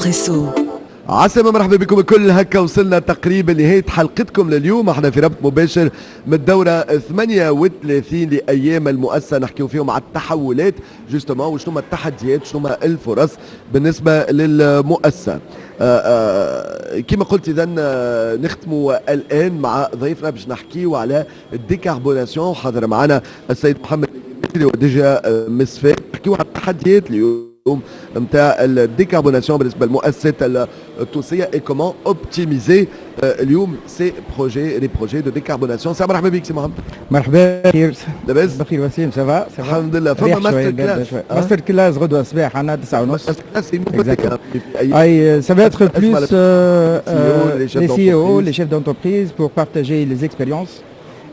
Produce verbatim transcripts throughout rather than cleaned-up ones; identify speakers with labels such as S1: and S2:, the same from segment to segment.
S1: اكسبريسو.
S2: عسلامة، مرحبا بكم الكل. هكا وصلنا تقريبا لنهاية حلقتكم لليوم. احنا في ربط مباشر من الدورة ثمانية وثلاثين لأيام المؤسسة، نحكيو فيهم على التحولات justement، وشنو التحديات، شنو الفرص بالنسبة للمؤسسة. آه، آه، كما قلت، اذا آه، نختموا الان مع ضيفنا باش نحكيو على ال décarbonation. حاضر معنا السيد محمد اللي هو D G مصفاة، نحكيو على التحديات اليوم نتاع ال décarbonation بالنسبة للمؤسسات التونسية et comment optimiser اليوم ces projets، les projets de décarbonation. سي مرحبا بك سي محمد.
S3: مرحبا، بخير.
S2: لاباس؟
S3: بخير وسيم، ça va؟
S2: الحمد لله. فما master class؟
S3: master class غدوه الصباح عندنا تسعة ونص.
S2: master class؟
S3: اي، ça va être plus euh, euh, les C E O، les chefs d'entreprise pour partager les expériences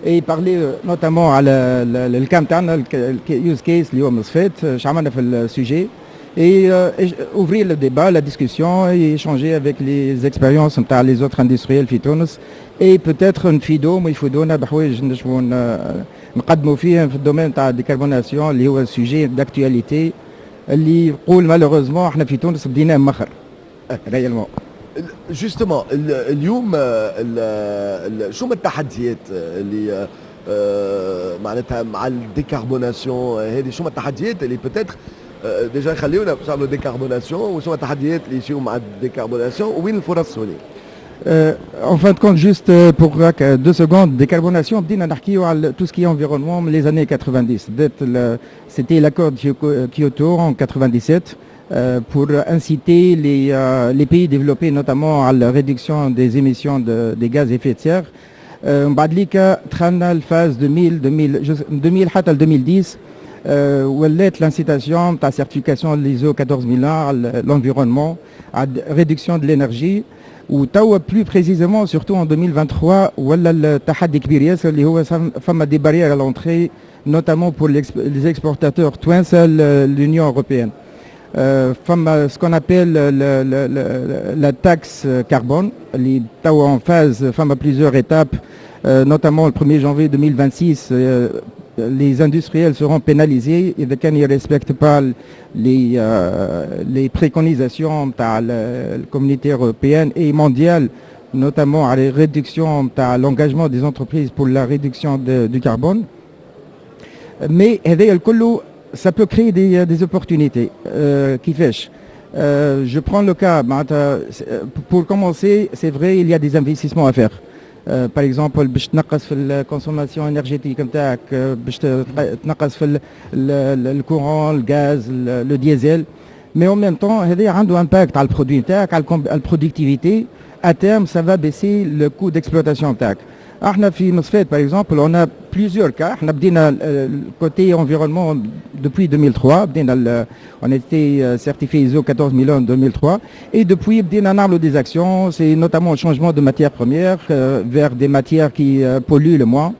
S3: et parler notamment على ال cas تاعنا، ال use case اللي هو مصفات، اش عملنا في ال sujet et euh, ouvrir le débat، la discussion et échanger avec les expériences نتاع les autres industriels في تونس et peut-être نفيدوهم ويفيدونا بحوايج نجموا نقدموا فيهم في ال domaine تاع décarbonation، اللي هو sujet d'actualité اللي يقول malheureusement احنا في تونس بديناه مخر réellement.
S2: justement، اليوم شو من التحديات اللي معناتها مع ال décarbonation هذه؟ شو التحديات اللي peut-être déjà يخليونا باش نعملوا décarbonation، وشو التحديات اللي يجيو مع ال décarbonation، وين الفرص هوني؟
S3: En fin de compte، juste pour deux secondes، décarbonation، بدينا نحكيو على tout ce qui est environnement من les années quatre-vingt-dix. بدات c'était l'accord de Kyoto en quatre-vingt-dix-sept pour inciter les, les pays développés notamment à la réduction des émissions de, des gaz à effet de serre. من بعد ليك دخلنا ال phase deux mille، deux mille، deux mille حتى deux mille dix، ولات l'incitation تاع certification l'ISO quatorze mille un على l'environnement، على réduction de l'énergie. وتوا plus précisément، surtout en deux mille vingt-trois، ولا التحدي كبير ياسر، اللي هو فما des barrières à l'entrée، notamment pour les exportateurs توانسة l'Union européenne. فما ce qu'on appelle la taxe carbone اللي توا en phase، فما plusieurs étapes، notamment le premier janvier deux mille vingt-six les industriels seront pénalisés إذا كان ils ne respectent pas les, euh, les préconisations de la communauté européenne et mondiale، notamment à la réduction de l'engagement des entreprises pour la réduction de, du carbone. Mais هذايا الكل ça peut créer des, des opportunités. Euh, كيفاش؟ euh, je prends le cas، pour commencer، c'est vrai، il y a des investissements à faire. par exemple باش تنقص في ال consommation énergétique نتاعك، باش تنقص في ال courant، الغاز، le diesel، mais en même temps هذا عنده impact على ال produit نتاعك، على ال productivité. à terme ça va baisser le coût d'exploitation نتاعك. احنا في مصفات par exemple on a plusieurs cas. احنا بدينا côté environnement depuis deux mille trois، بدينا، on était certifié ISO quatorze mille un en deux mille trois et depuis بدينا نعملوا des actions، c'est notamment le changement de matières premières vers des matières qui polluent le moins.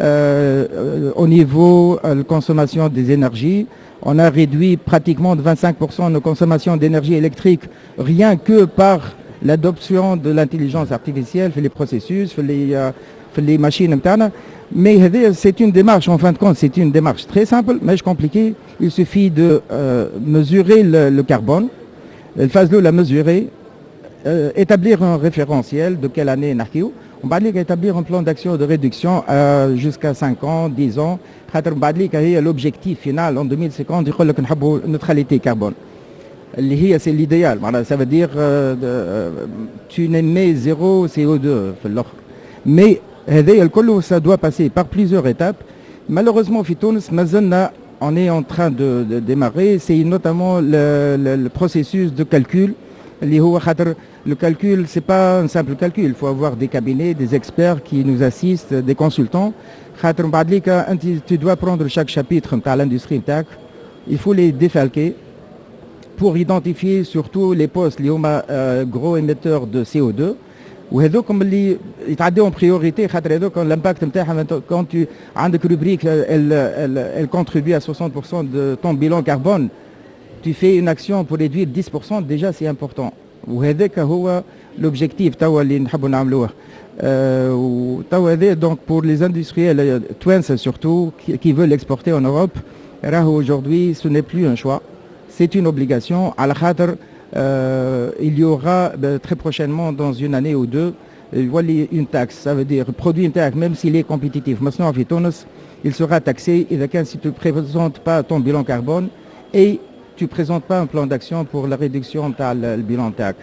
S3: euh, au niveau de la consommation des énergies، on a réduit pratiquement de vingt-cinq pour cent nos consommations d'énergie électrique rien que par l'adoption de l'intelligence artificielle في les processus، في les في les machines نتاعنا. mais هذه c'est une démarche، en fin de compte c'est une démarche très simple، ماهيش compliquée. il suffit de euh, mesurer le, le carbone، ال phase الأولى mesurer، euh, établir un référentiel de quelle année نحكيو، ومن بعد ليك établir un plan d'action de réduction euh, jusqu'à cinq ans، dix ans، خاطر من بعد ليك هي l'objectif final en deux mille cinquante، يقول لك نحبوا neutralité carbone، اللي هي c'est l'idéal. معناها ça veut dire tu n'émets zéro C O deux في الاخر. mais هذايا الكل ça doit passer par plusieurs étapes. malheureusement في تونس مازلنا on est en train de, de démarrer، c'est notamment le, le, le processus de calcul، اللي هو خاطر le calcul c'est pas un simple calcul، il faut avoir des cabinets، des experts qui nous assistent، des consultants، خاطر من بعد ليك انت tu dois prendre chaque chapitre نتاع l'industrie نتاعك، il faut les défalquer pour identifier surtout les postes اللي هما gros émetteurs de C O deux، وهذوكم اللي يتعداو en priorité، خاطر هذوك l'impact نتاعهم، quand tu عندك rubrique elle, elle, elle contribue à soixante pour cent de ton bilan carbone، tu fais une action pour réduire dix pour cent déjà، c'est important. وهذاك هو l'objectif توا اللي نحبوا نعملوه. أه وتوا هذا donc pour les industriels توانسة surtout qui, qui veulent exporter en Europe، راهو aujourd'hui ce n'est plus un choix، c'est une obligation، على خاطر Euh, il y aura très prochainement, dans une année ou deux, يولي une taxe. Ça veut dire produit نتاعك, même s'il est compétitif, مصنوع في تونس, il sera taxé إذا كان si tu ne présentes pas ton bilan carbone et tu ne présentes pas un plan d'action pour la réduction تاع ال bilan تاعك.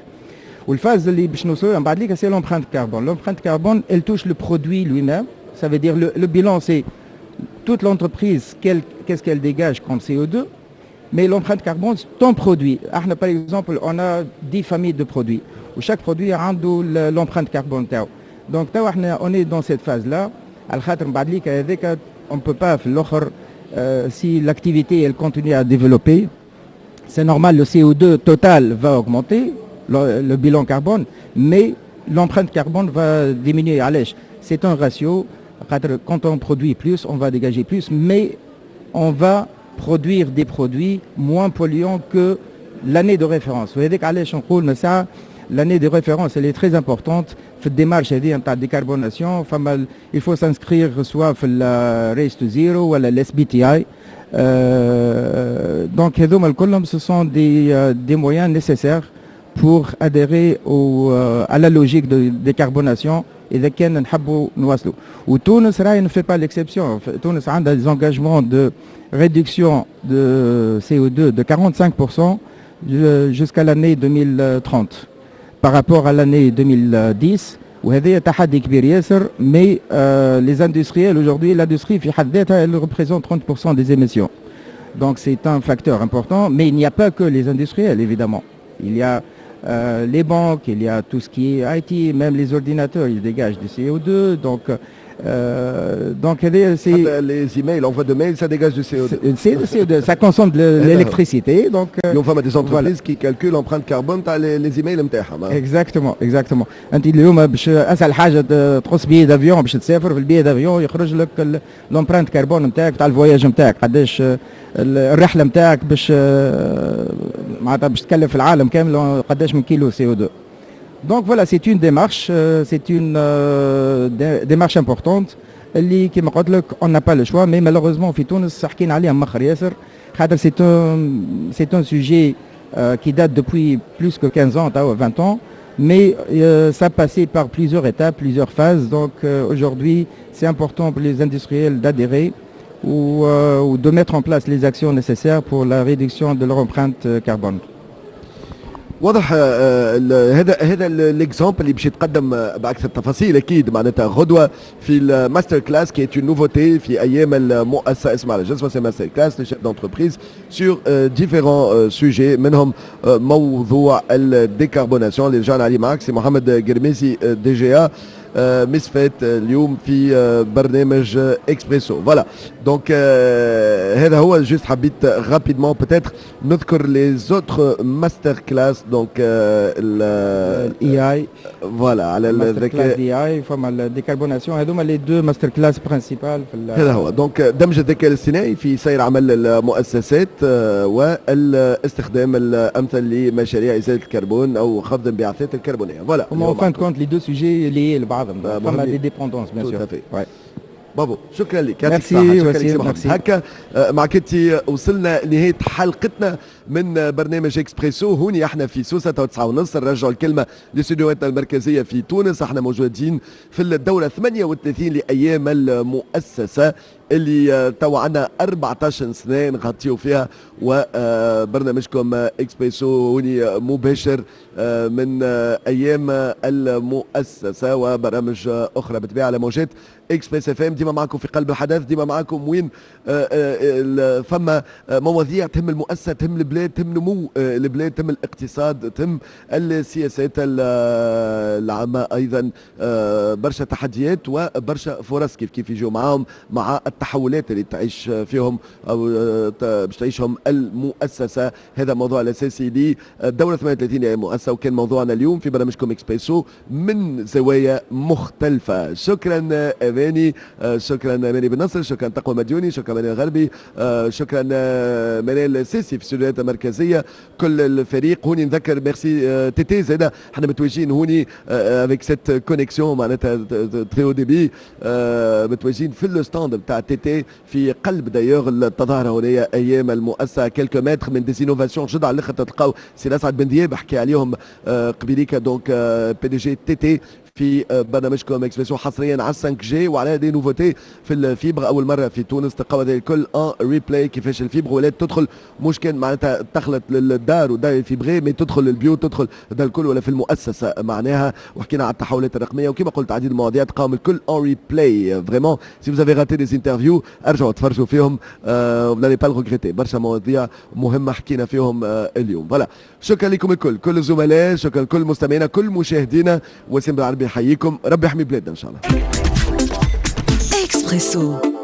S3: وال phase اللي باش نوصلوا من بعد ليك, c'est l'empreinte carbone. L'empreinte carbone, elle touche le produit lui-même. Ça veut dire le, le bilan, c'est toute l'entreprise, qu'est-ce qu'elle dégage comme C O deux, mais l'empreinte carbone, c'est ton produit. احنا par exemple, on a dix familles de produits و chaque produit عنده l'empreinte carbone تاعو. Donc توا احنا on est dans cette phase là على خاطر من بعد ليك هذاك on peut pas في الاخر, si l'activité, elle continue à développer, c'est normal, le C O deux total va augmenter, le, le bilan carbone, mais l'empreinte carbone va diminuer. علاش؟ C'est un ratio. Quand on produit plus, on va dégager plus, mais on va produire des produits moins polluants que l'année de référence. L'année de référence, elle est très importante. في ال démarche هذه نتاع décarbonation, فما il faut s'inscrire soit في ال Race to Zero ولا ال S B T I. Donc هذوما الكلهم, ce sont des des moyens nécessaires pour adhérer au, à la logique de décarbonation اذا كان نحبوا نواصلوا. وتونس راهي ne fait pas l'exception. تونس عندها des engagements de réduction de C O deux de quarante-cinq pour cent jusqu'à l'année deux mille trente par rapport à l'année deux mille dix. وهذا تحدي كبير ياسر, mais euh, les industriels aujourd'hui, l'industrie في حد ذاتها, elle représente trente pour cent des émissions, donc c'est un facteur important. Mais il n'y a pas que les industriels, évidemment, il y a euh, les banques, il y a tout ce qui est I T, même les ordinateurs, ils dégagent du C O deux. Donc, euh, donc
S2: c'est les emails, l'envoi de mails, ça dégage du C O deux.
S3: C'est le C O deux, ça consomme de l'électricité. Donc
S2: euh, فما des entreprises qui calculent l'empreinte carbone تاع les emails نتاعهم.
S3: Exactement, exactement. انت اليوم باش اسهل حاجه تقص billet d'avion باش تسافر, في ال billet d'avion يخرج لك l'empreinte carbone نتاعك تاع ال voyage نتاعك, قداش الرحله نتاعك باش معناتها باش تكلف العالم كامل قداش من كيلو C O deux. Donc voilà, c'est une démarche, c'est une démarche importante اللي كيما قلت لك on n'a pas le choix, mais malheureusement في تونس حكينا عليها مخر ياسر خاطر c'est un c'est un sujet qui date depuis plus que quinze ans, vingt ans, mais euh, ça passait par plusieurs étapes, plusieurs phases. Donc euh, aujourd'hui, c'est important pour les industriels d'adhérer ou, euh, ou de mettre en place les actions nécessaires pour la réduction de leur empreinte carbone.
S2: واضح. هذا هذا l'exemple اللي باش يتقدم باكثر تفاصيل اكيد معناتها غدوه في ال master class qui est une nouveauté في ايام المؤسسه, اسمها على جسمها, c'est master class les chefs d'entreprise sur différents sujets, منهم موضوع ال décarbonation اللي رجعنا عليه معك سي محمد قرميسي, D G A مسفات, اليوم في برنامج اكسبريسو. Voilà, donc هذا هو. Juste حبيت rapidement peut-être نذكر les autres master class, donc
S3: ال A I.
S2: Voilà, على
S3: الذكاء A I, فما ال décarbonation, هذوما les deux master class principales.
S2: هذا هو. Donc دمج الذكاء الاصطناعي في سير عمل المؤسسات والاستخدام الامثل لمشاريع ازاله الكربون او خفض الانبعاثات الكربونيه. Voilà.
S3: هما en fin de compte les deux sujets liés لبعضهم, فما des dépendances, bien sûr.
S2: بابو, شكرا لك.
S3: يعطيك الصحة,
S2: شكرا لك. هكا معك انت وصلنا لنهاية حلقتنا من برنامج اكسبريسو. هوني احنا في سوسة, تسعة ونص. نرجعوا الكلمة لاستديوهاتنا المركزية في تونس. احنا موجودين في الدورة ثمانية وثلاثين لأيام المؤسسة اللي توا عندنا أربعطاش سنة نغطيو فيها, وبرنامجكم اكسبريسو هوني مباشر من ايام المؤسسه وبرامج اخرى بالطبيعه على موجات Express F M. ديما معكم في قلب الحدث, ديما معكم وين فما مواضيع تهم المؤسسه, تهم البلاد, تهم نمو البلاد, تهم الاقتصاد, تهم السياسات العامه ايضا. برشا تحديات وبرشا فرص كيف كيف يجوا معاهم مع التحولات اللي تعيش فيهم او باش تعيشهم المؤسسه. هذا الموضوع الاساسي للدوره ثمانية وثلاثين يا مؤسسه, وكان موضوعنا اليوم في برنامجكم اكسبريسو من زوايا مختلفه. شكرا اماني, شكرا اماني بن نصر, شكرا تقوى مديوني, شكرا منال الغربي, شكرا منال السيسي في الاستوديوهات المركزيه, كل الفريق هوني. نذكر ميرسي تيتي زاده, احنا متواجدين هوني avec cette connexion معناتها très haut débit, متواجدين في ال stand بتاع TT في قلب d'ailleurs التظاهرة هنا ايام المؤسسه، quelques mètres من des innovations جدد على الاخر، تلقاو سي اسعد بن دياب حكي عليهم آه، قبيليكا، donc PDG TT في برنامجكم اكسبريسو حصريا على خمسة G وعلى des nouveautés في ال fibre اول مرة في تونس. تلقاو هذا الكل en replay، كيفاش ال fibre ولات تدخل، مش كان معناتها تخلط للدار ودار fibrée، mais تدخل للبيوت، تدخل ده الكل ولا في المؤسسة معناها. وحكينا على التحولات الرقمية وكما قلت عديد المواضيع، تلقاهم الكل en replay. vraiment si vous avez raté des interviews ارجعوا تفرجوا فيهم، vous n'allez pas le regretter. برشا مواضيع مهمة حكينا فيهم آه اليوم. voilà، شكرا لكم الكل، كل الزملاء، شكرا لكل مستمعينا، كل مشاهدينا. وسيم بالعربي يحييكم، ربي يحمي بلادنا ان شاء الله.
S1: اكسبريسو.